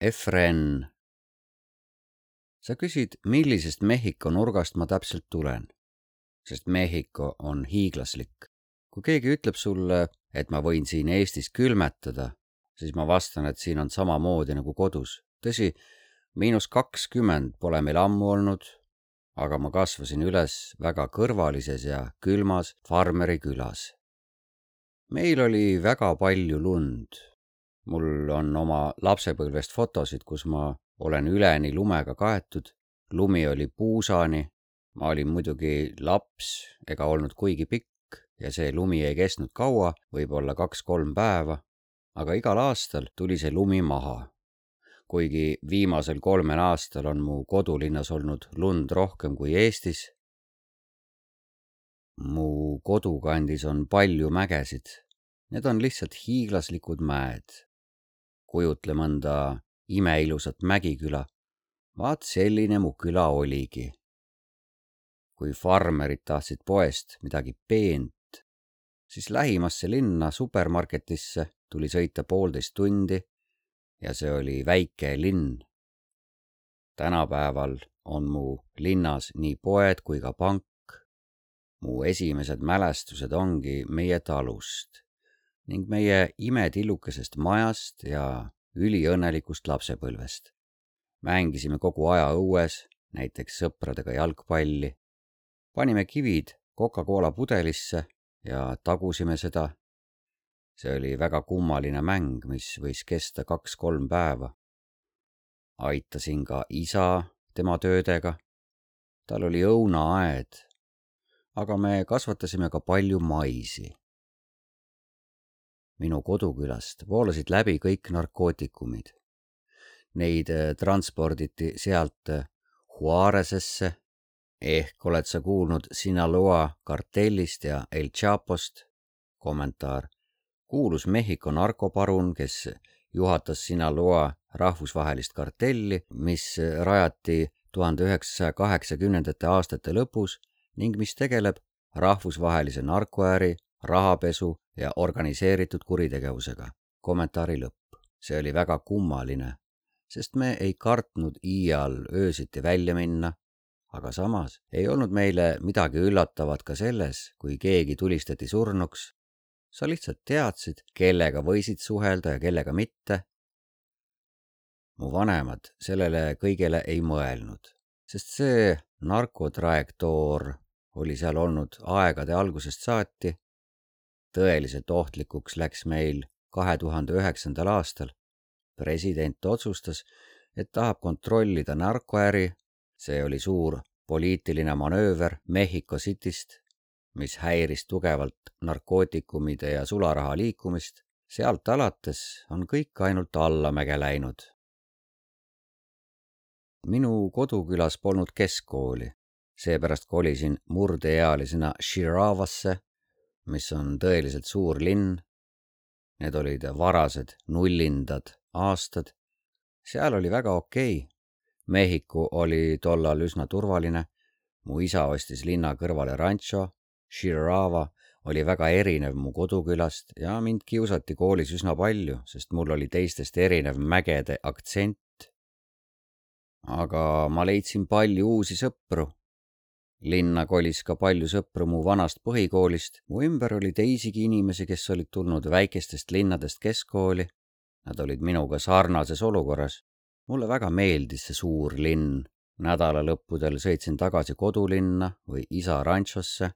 Efren, sa küsid, millisest Mehhiko nurgast ma täpselt tulen, sest Mehhiko on hiiglaslik. Kui keegi ütleb sulle, et ma võin siin Eestis külmetada, siis ma vastan, et siin on samamoodi nagu kodus. Tõsi, –20 pole meil ammu olnud, aga ma kasvasin üles väga kõrvalises ja külmas farmeri külas. Meil oli väga palju lund. Mul on oma lapsepõlvest fotosid, kus ma olen üleni lumega kaetud. Lumi oli puusani. Ma olin muidugi laps ega olnud kuigi pikk ja see lumi ei kestnud kaua, võib-olla 2-3 päeva, aga igal aastal tuli see lumi maha. Kuigi viimasel 3 aastal on mu kodulinnas olnud lund rohkem kui Eestis. Mu kodukandis on palju mägesid. Need on lihtsalt hiiglaslikud mäed. Kujutle mõnda imeilusat mägiküla. Vaat selline mu küla oligi. Kui farmerid tahtsid poest midagi peent, siis lähimasse linna supermarketisse tuli sõita 1,5 tundi ja see oli väike linn. Tänapäeval on mu linnas nii poed kui ka pank. Mu esimesed mälestused ongi meie talust ning meie imetillukesest majast ja üliõnnelikust lapsepõlvest. Mängisime kogu aja õues, näiteks sõpradega jalgpalli. Panime kivid Coca-Cola pudelisse ja tagusime seda. See oli väga kummaline mäng, mis võis kesta 2-3 päeva. Aitasin ka isa tema töödega. Tal oli õunaaed, aga me kasvatasime ka palju maisi. Minu kodukülast voolasid läbi kõik narkootikumid. Neid transporditi sealt Juarezesse, ehk oled sa kuulnud Sinaloa kartellist ja El Chapost. Kommentaar. Kuulus Mehhiko narkoparun, kes juhatas Sinaloa rahvusvahelist kartelli, mis rajati 1980. aastate lõpus ning mis tegeleb rahvusvahelise narkoäri, rahapesu ja organiseeritud kuritegevusega. Kommentaari lõpp. See oli väga kummaline, sest me ei kartnud iial öösiti välja minna, aga samas ei olnud meile midagi üllatavat ka selles, kui keegi tulistati surnuks. Sa lihtsalt teadsid, kellega võisid suhelda ja kellega mitte. Mu vanemad sellele kõigele ei mõelnud, sest see narkotrajektoor oli seal olnud aegade algusest saati. Tõeliselt ohtlikuks läks meil 2009. aastal. President otsustas, et tahab kontrollida narkoäri. See oli suur poliitiline manööver Mehhiko Cityst, mis häiris tugevalt narkootikumide ja sularaha liikumist. Sealt alates on kõik ainult allamäge läinud. Minu kodukülas polnud keskkooli, seepärast kolisin murdeealisena Shiravasse, mis on tõeliselt suur linn. Need olid varased nullindad aastad. Seal oli väga okei. Mehhiko oli tollal üsna turvaline. Mu isa ostis linna kõrvale rancho. Shirava oli väga erinev mu kodukülast ja mind kiusati koolis üsna palju, sest mul oli teistest erinev mägede aktsent. Aga ma leidsin palju uusi sõpru. Linna kolis ka palju sõpru mu vanast põhikoolist. Mu ümber oli teisigi inimesi, kes olid tulnud väikestest linnadest keskkooli. Nad olid minuga sarnases olukorras. Mulle väga meeldis see suur linn. Nädalalõppudel sõitsin tagasi kodulinna või isa ranchosse.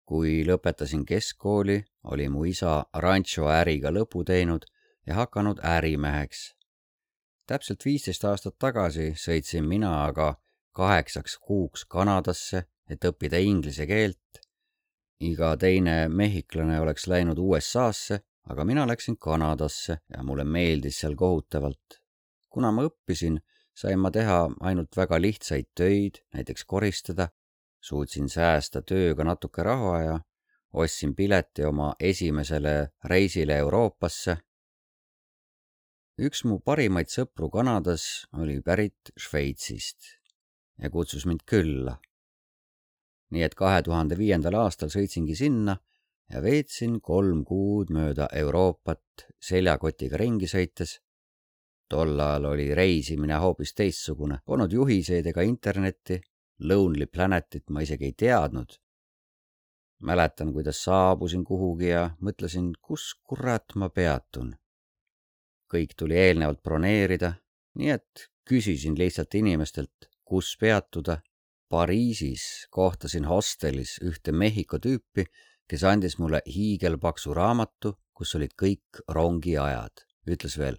Kui lõpetasin keskkooli, oli mu isa rancho äriga lõpu teinud ja hakanud ärimeheks. Täpselt 15 aastat tagasi sõitsin mina aga 8 kuuks Kanadasse, et õppida inglise keelt. Iga teine mehhiklane oleks läinud USA-sse, aga mina läksin Kanadasse ja mulle meeldis seal kohutavalt. Kuna ma õppisin, sain ma teha ainult väga lihtsaid töid, näiteks koristada. Suutsin säästa tööga natuke raha ja ostsin pileti oma esimesele reisile Euroopasse. Üks mu parimaid sõpru Kanadas oli pärit Šveitsist ja kutsus mind külla. Nii et 2005. aastal sõitsingi sinna ja veetsin 3 kuud mööda Euroopat seljakotiga ringi sõites. Tol ajal oli reisimine hoopis teistsugune. Polnud juhiseid ega internetti, Lonely Planetit ma isegi ei teadnud. Mäletan, kuidas saabusin kuhugi ja mõtlesin, kus kurat ma peatun. Kõik tuli eelnevalt broneerida, nii et küsisin lihtsalt inimestelt, kus peatuda. Pariisis kohtasin hostelis ühte Mehhiko tüüpi, kes andis mulle hiigelpaksu raamatu, kus olid kõik rongiajad. Ütles veel,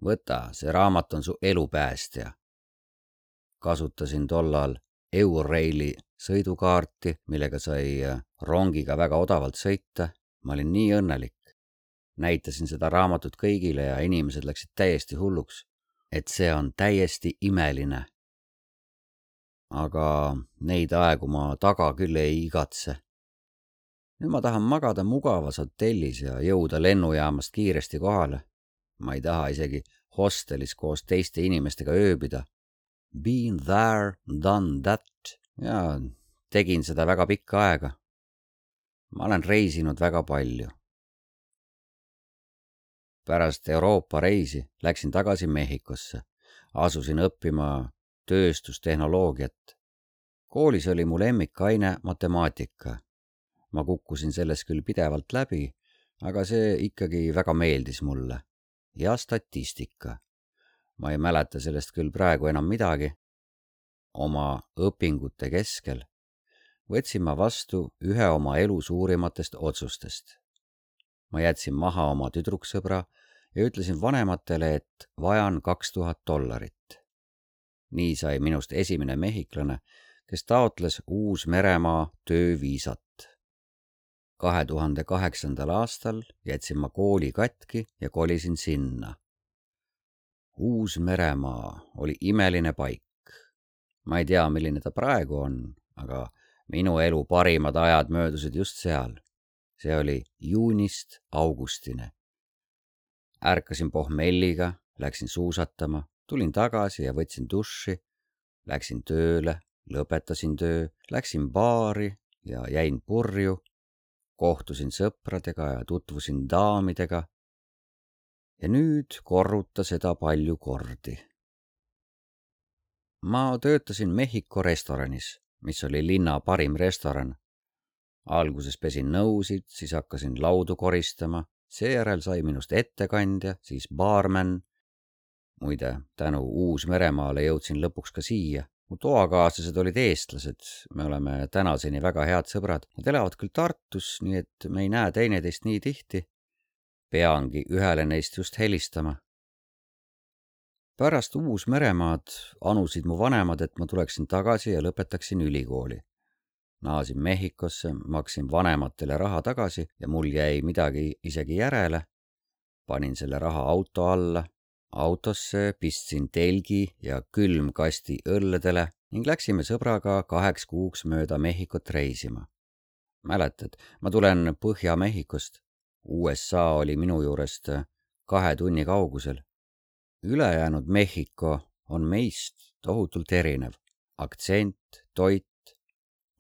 võta, see raamat on su elupäästja. Kasutasin tollal Euraili sõidukaarti, millega sai rongiga väga odavalt sõita. Ma olin nii õnnelik. Näitasin seda raamatut kõigile ja inimesed läksid täiesti hulluks, et see on täiesti imeline. Aga neid aegu ma taga küll ei igatse. Nüüd ma tahan magada mugavas hotellis ja jõuda lennujaamast kiiresti kohale. Ma ei taha isegi hostelis koos teiste inimestega ööbida. Been there, done that ja tegin seda väga pikka aega. Ma olen reisinud väga palju. Pärast Euroopa reisi läksin tagasi Mehhikosse. Asusin õppima tööstustehnoloogiat. Koolis oli mu lemmikaine matemaatika. Ma kukkusin selles küll pidevalt läbi, aga see ikkagi väga meeldis mulle. Ja statistika. Ma ei mäleta sellest küll praegu enam midagi. Oma õpingute keskel võtsin ma vastu ühe oma elu suurimatest otsustest. Ma jätsin maha oma tüdruksõbra ja ütlesin vanematele, et vajan $2000. Nii sai minust esimene mehhiklane, kes taotles Uus-Meremaa tööviisat. 2008. aastal jätsin ma kooli katki ja kolisin sinna. Uus-Meremaa oli imeline paik. Ma ei tea, milline ta praegu on, aga minu elu parimad ajad möödusid just seal. See oli juunist augustini. Ärkasin pohmelliga, läksin suusatama, tulin tagasi ja võtsin duši, läksin tööle, lõpetasin töö, läksin baari ja jäin purju, kohtusin sõpradega ja tutvusin daamidega. Ja nüüd korruta seda palju kordi. Ma töötasin Mehhiko restoranis, mis oli linna parim restoran. Alguses pesin nõusid, siis hakkasin laudu koristama, seejärel sai minust ettekandja, siis baarmen. Muide, tänu Uus-Meremaale jõudsin lõpuks ka siia. Mu toakaaslased olid eestlased, me oleme tänaseni väga head sõbrad. Nad elavad küll Tartus, nii et me ei näe teineteist nii tihti. Peangi ühele neist just helistama. Pärast Uus-Meremaad anusid mu vanemad, et ma tuleksin tagasi ja lõpetaksin ülikooli. Naasin Mehhikosse, maksin vanematele raha tagasi ja mul jäi midagi isegi järele. Panin selle raha auto alla, autosse pistsin telgi ja külmkasti õlledele ning läksime sõbraga 2 kuuks mööda Mehhikot reisima. Mäletad, ma tulen Põhja-Mehhikost. USA oli minu juurest 2 tunni kaugusel. Ülejäänud Mehhiko on meist tohutult erinev. Aktsent, toit.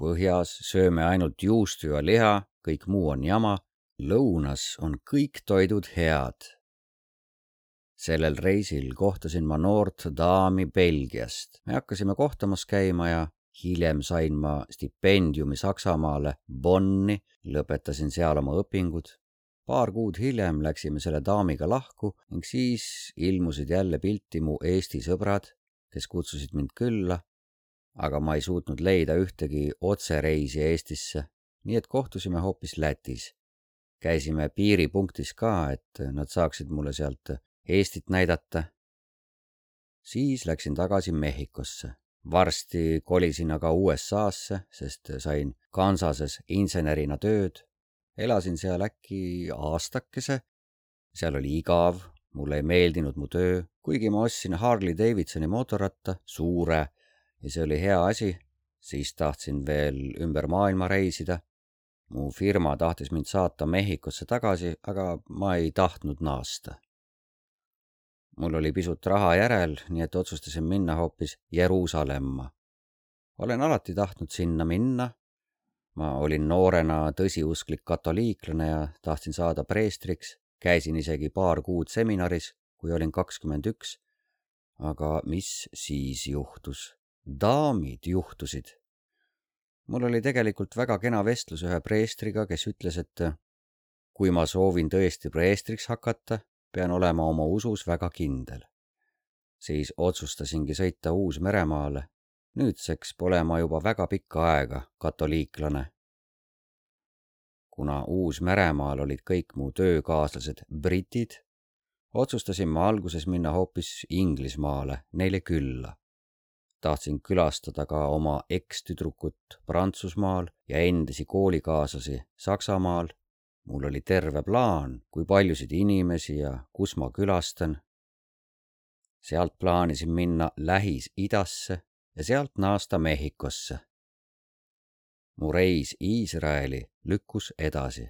Põhjas sööme ainult juustu ja liha, kõik muu on jama. Lõunas on kõik toidud head. Sellel reisil kohtasin ma noort daami Belgiast. Me hakkasime kohtamas käima ja hiljem sain ma stipendiumi Saksamaale Bonni, lõpetasin seal oma õpingud. Paar kuud hiljem läksime selle daamiga lahku ning siis ilmusid jälle pilti mu Eesti sõbrad, kes kutsusid mind külla, aga ma ei suutnud leida ühtegi otsereisi Eestisse, nii et kohtusime hoopis Lätis. Käisime piiripunktis ka, et nad saaksid mulle sealt Eestit näidata. Siis läksin tagasi Mehhikosse. Varsti kolisin aga USA-sse, sest sain Kansases insenerina tööd. Elasin seal äkki aastakese. Seal oli igav, mulle ei meeldinud mu töö, kuigi ma ostsin Harley Davidsoni mootorratta, suure, ja see oli hea asi. Siis tahtsin veel ümber maailma reisida. Mu firma tahtis mind saata Mehhikosse tagasi, aga ma ei tahtnud naasta. Mul oli pisut raha järel, nii et otsustasin minna hoopis Jeruusalemma. Olen alati tahtnud sinna minna. Ma olin noorena tõsiusklik katoliiklane ja tahtsin saada preestriks. Käisin isegi paar kuud seminaris, kui olin 21 aga mis siis juhtus? Daamid juhtusid. Mul oli tegelikult väga kena vestlus ühe preestriga, kes ütles, et kui ma soovin tõesti preestriks hakata, pean olema oma usus väga kindel. Siis otsustasingi sõita Uus-Meremaale. Nüüdseks pole ma juba väga pikka aega katoliiklane. Kuna Uus-Meremaal olid kõik mu töökaaslased britid, otsustasin ma alguses minna hoopis Inglismaale neile külla. Tahtsin külastada ka oma ekstüdrukut Prantsusmaal ja endisi koolikaaslasi Saksamaal. Mul oli terve plaan, kui paljusid inimesi ja kus ma külastan. Sealt plaanisin minna Lähis-Idasse ja sealt naasta Mehhikosse. Mu reis Iisraeli lükkus edasi.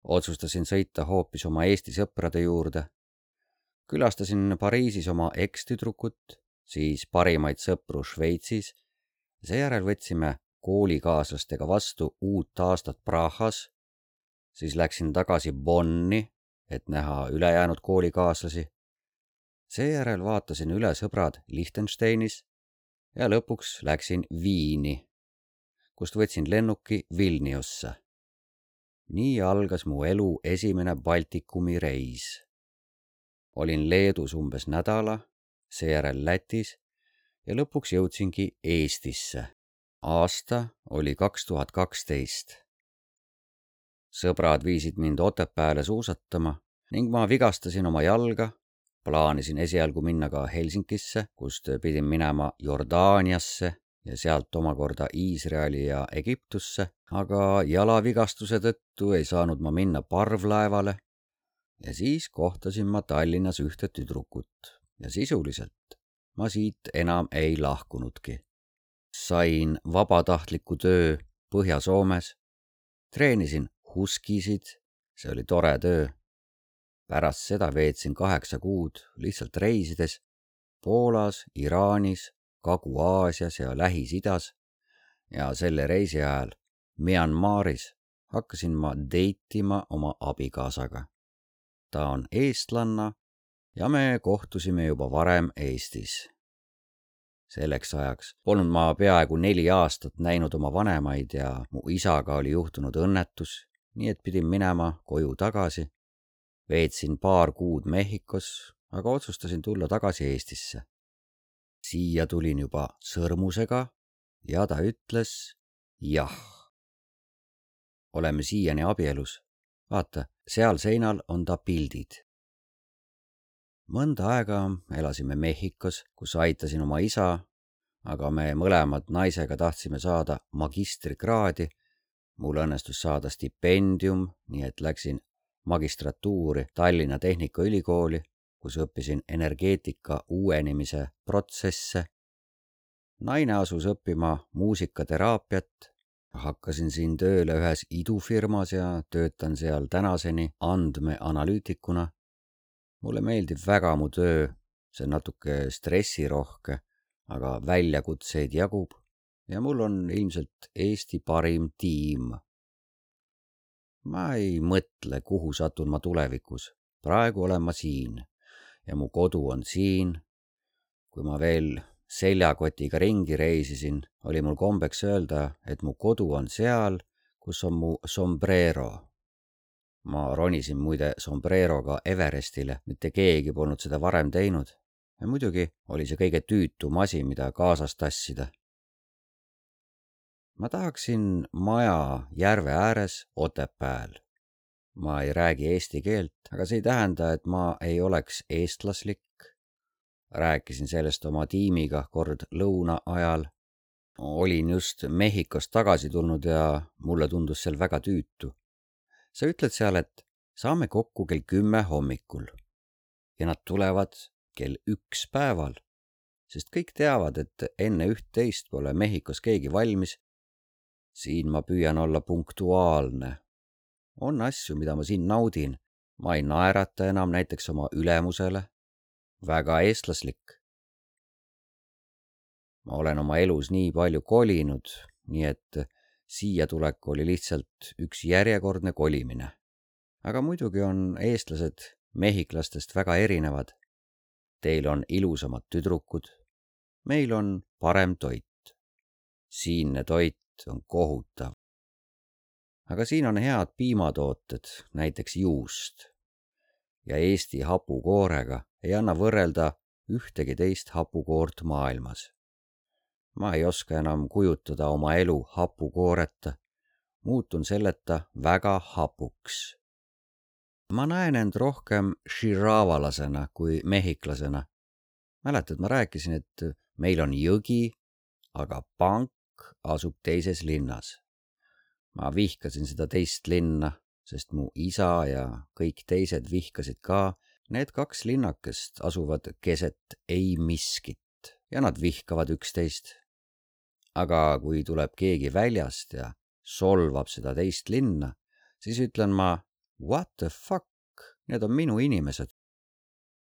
Otsustasin sõita hoopis oma Eesti sõprade juurde. Külastasin Pariisis oma ekstüdrukut, siis parimaid sõpru Šveitsis. Seejärel võtsime koolikaaslastega vastu uut aastat Prahas. Siis läksin tagasi Bonni, et näha ülejäänud koolikaaslasi. Seejärel vaatasin üle sõbrad Liechtensteinis ja lõpuks läksin Viini, kust võtsin lennuki Vilniusse. Nii algas mu elu esimene Baltikumi reis. Olin Leedus umbes nädala, seejärel Lätis ja lõpuks jõudsingi Eestisse. Aasta oli 2012. Sõbrad viisid mind Otepääle suusatama ning ma vigastasin oma jalga. Plaanisin esialgu minna ka Helsingisse, kust pidin minema Jordaaniasse ja sealt omakorda Iisraeli ja Egiptusse, aga jalavigastuse tõttu ei saanud ma minna parvlaevale ja siis kohtasin ma Tallinnas ühte tüdrukut ja sisuliselt ma siit enam ei lahkunudki. Sain vabatahtliku töö Põhja-Soomes, treenisin huskisid, see oli tore töö. Pärast seda veetsin 8 kuud lihtsalt reisides Poolas, Iraanis, Kagu-Aasias ja Lähis-Idas ja selle reisi ajal Myanmaris hakkasin ma deitima oma abikaasaga. Ta on eestlanna ja me kohtusime juba varem Eestis. Selleks ajaks polnud ma peaaegu 4 aastat näinud oma vanemaid ja mu isaga oli juhtunud õnnetus, nii et pidin minema koju tagasi. Veetsin 2 kuud Mehhikos, aga otsustasin tulla tagasi Eestisse. Siia tulin juba sõrmusega ja ta ütles jah. Oleme siiani abielus. Vaata, seal seinal on ta pildid. Mõnda aega elasime Mehhikos, kus aitasin oma isa, aga me mõlemad naisega tahtsime saada magistrikraadi. Mul õnnestus saada stipendium, nii et läksin magistratuuri Tallinna Tehnikaülikooli, kus õppisin energeetika uuenemise protsesse. Naine asus õppima muusikateraapiat. Hakkasin siin tööle ühes idufirmas ja töötan seal tänaseni andmeanalüütikuna. Mulle meeldib väga mu töö, see on natuke stressirohke, aga väljakutseid jagub ja mul on ilmselt Eesti parim tiim. Ma ei mõtle, kuhu satun ma tulevikus. Praegu olen ma siin ja mu kodu on siin. Kui ma veel seljakotiga ringi reisisin, oli mul kombeks öelda, et mu kodu on seal, kus on mu sombrero. Ma ronisin muide sombreroga Everestile, mitte keegi polnud seda varem teinud. Ja muidugi oli see kõige tüütum asi, mida kaasas tassida. Ma tahaksin maja järve ääres Otepääl. Ma ei räägi eesti keelt, aga see ei tähenda, et ma ei oleks eestlaslik. Rääkisin sellest oma tiimiga kord lõuna ajal. Olin just Mehhikost tagasi tulnud ja mulle tundus seal väga tüütu. Sa ütled seal, et saame kokku kell 10 hommikul ja nad tulevad kell 1 päeval, sest kõik teavad, et enne 11 pole Mehhikos keegi valmis. Siin ma püüan olla punktuaalne. On asju, mida ma siin naudin. Ma ei naerata enam näiteks oma ülemusele. Väga eestlaslik. Ma olen oma elus nii palju kolinud, nii et siia tulek oli lihtsalt üks järjekordne kolimine. Aga muidugi on eestlased mehhiklastest väga erinevad. Teil on ilusamad tüdrukud. Meil on parem toit. Siinne toit on kohutav. Aga siin on head piimatooted, näiteks juust. Ja Eesti hapukoorega ei anna võrrelda ühtegi teist hapukoort maailmas. Ma ei oska enam kujutada oma elu hapukooreta. Muutun selleta väga hapuks. Ma näen end rohkem širavalasena kui mehhiklasena. Mäletad, ma rääkisin, et meil on jõgi, aga pank asub teises linnas. Ma vihkasin seda teist linna, sest mu isa ja kõik teised vihkasid ka. Need 2 linnakest asuvad keset ei miskit ja nad vihkavad üksteist. Aga kui tuleb keegi väljast ja solvab seda teist linna, siis ütlen ma, what the fuck, need on minu inimesed.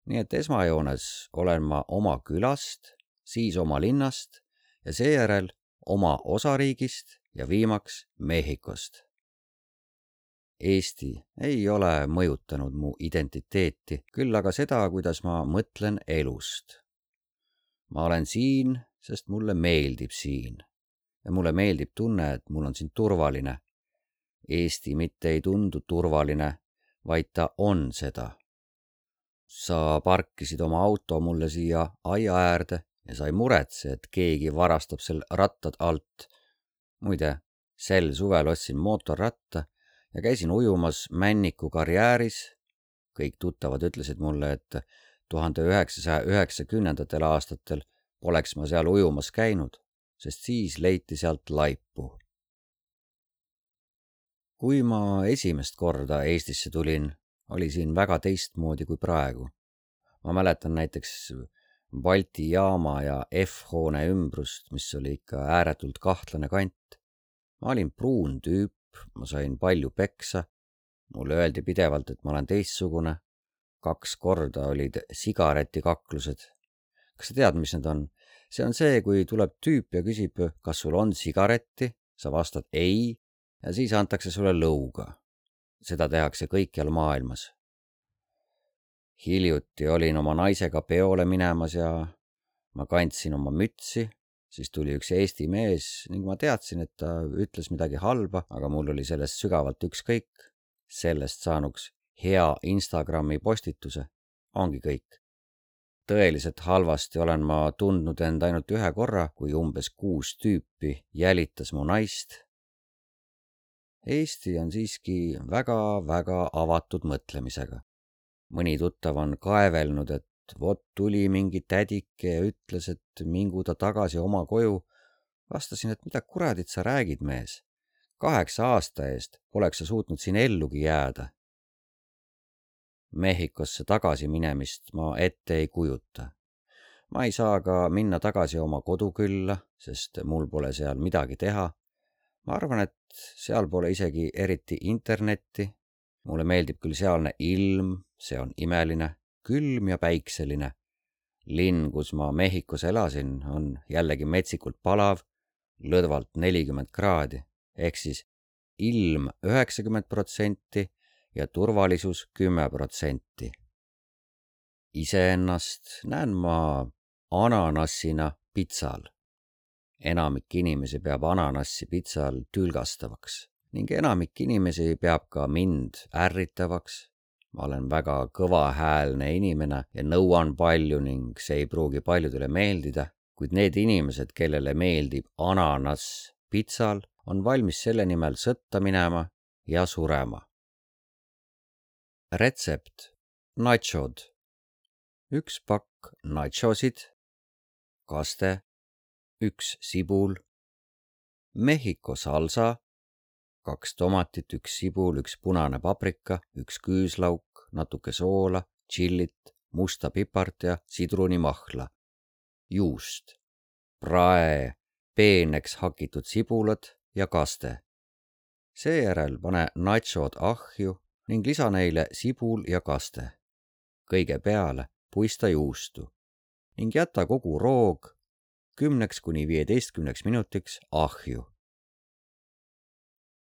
Nii et esmajoones olen ma oma külast, siis oma linnast ja seejärel oma osariigist ja viimaks Mehhikost. Eesti ei ole mõjutanud mu identiteeti, küll aga seda, kuidas ma mõtlen elust. Ma olen siin, sest mulle meeldib siin. Ja mulle meeldib tunne, et mul on siin turvaline. Eesti mitte ei tundu turvaline, vaid ta on seda. Sa parkisid oma auto mulle siia aia äärde ja sa ei muretse, et keegi varastab seal rattad alt. Muide, sel suvel ostsin mootorratta ja käisin ujumas Männiku karjääris. Kõik tuttavad ütlesid mulle, et 1990. aastatel poleks ma seal ujumas käinud, sest siis leiti sealt laipu. Kui ma esimest korda Eestisse tulin, oli siin väga teistmoodi kui praegu. Ma mäletan näiteks Balti jaama ja F-hoone ümbrust, mis oli ikka ääretult kahtlane kant. Ma olin pruun tüüp, ma sain palju peksa. Mulle öeldi pidevalt, et ma olen teistsugune. 2 korda olid sigaretikaklused. Kas sa tead, mis need on? See on see, kui tuleb tüüp ja küsib, kas sul on sigaretti, sa vastad ei ja siis antakse sulle lõuga. Seda tehakse kõikjal maailmas. Hiljuti olin oma naisega peole minemas ja ma kandsin oma mütsi, siis tuli üks Eesti mees ning ma teadsin, et ta ütles midagi halba, aga mul oli sellest sügavalt ükskõik. Sellest saanuks hea Instagrami postituse. Ongi kõik. Tõeliselt halvasti olen ma tundnud end ainult 1 korra, kui umbes 6 tüüpi jälitas mu naist. Eesti on siiski väga avatud mõtlemisega. Mõni tuttav on kaevelnud, et vot tuli mingi tädike ja ütles, et mingu ta tagasi oma koju. Vastasin, et mida kuradit sa räägid, mees? 8 aasta eest poleks sa suutnud siin ellugi jääda. Mehhikosse tagasi minemist ma ette ei kujuta. Ma ei saa ka minna tagasi oma kodukülla, sest mul pole seal midagi teha. Ma arvan, et seal pole isegi eriti internetti. Mulle meeldib küll sealne ilm, see on imeline, külm ja päikseline. Linn, kus ma Mehhikos elasin, on jällegi metsikult palav, lõdvalt 40 kraadi, ehk siis ilm 90% ja turvalisus 10%. Iseennast näen ma ananassina pitsal. Enamik inimesi peab ananassi pitsal tülgastavaks ning enamik inimesi peab ka mind ärritavaks. Ma olen väga kõvahäälne inimene ja nõuan palju ning see ei pruugi paljudele meeldida, kuid need inimesed, kellele meeldib ananass pitsal, on valmis selle nimel sõtta minema ja surema. Retsept. Nachod. 1 pakk nachosid, kaste, 1 sibul, Mehhiko salsa, 2 tomatit, 1 sibul, 1 punane paprika, 1 küüslauk, natuke soola, tšillit, musta pipart ja sidrunimahla, juust, prae, peeneks hakitud sibulad ja kaste. Seejärel pane nachod ahju ning lisa neile sibul ja kaste. Kõige peale puista juustu ning jäta kogu roog 10–15 minutiks ahju.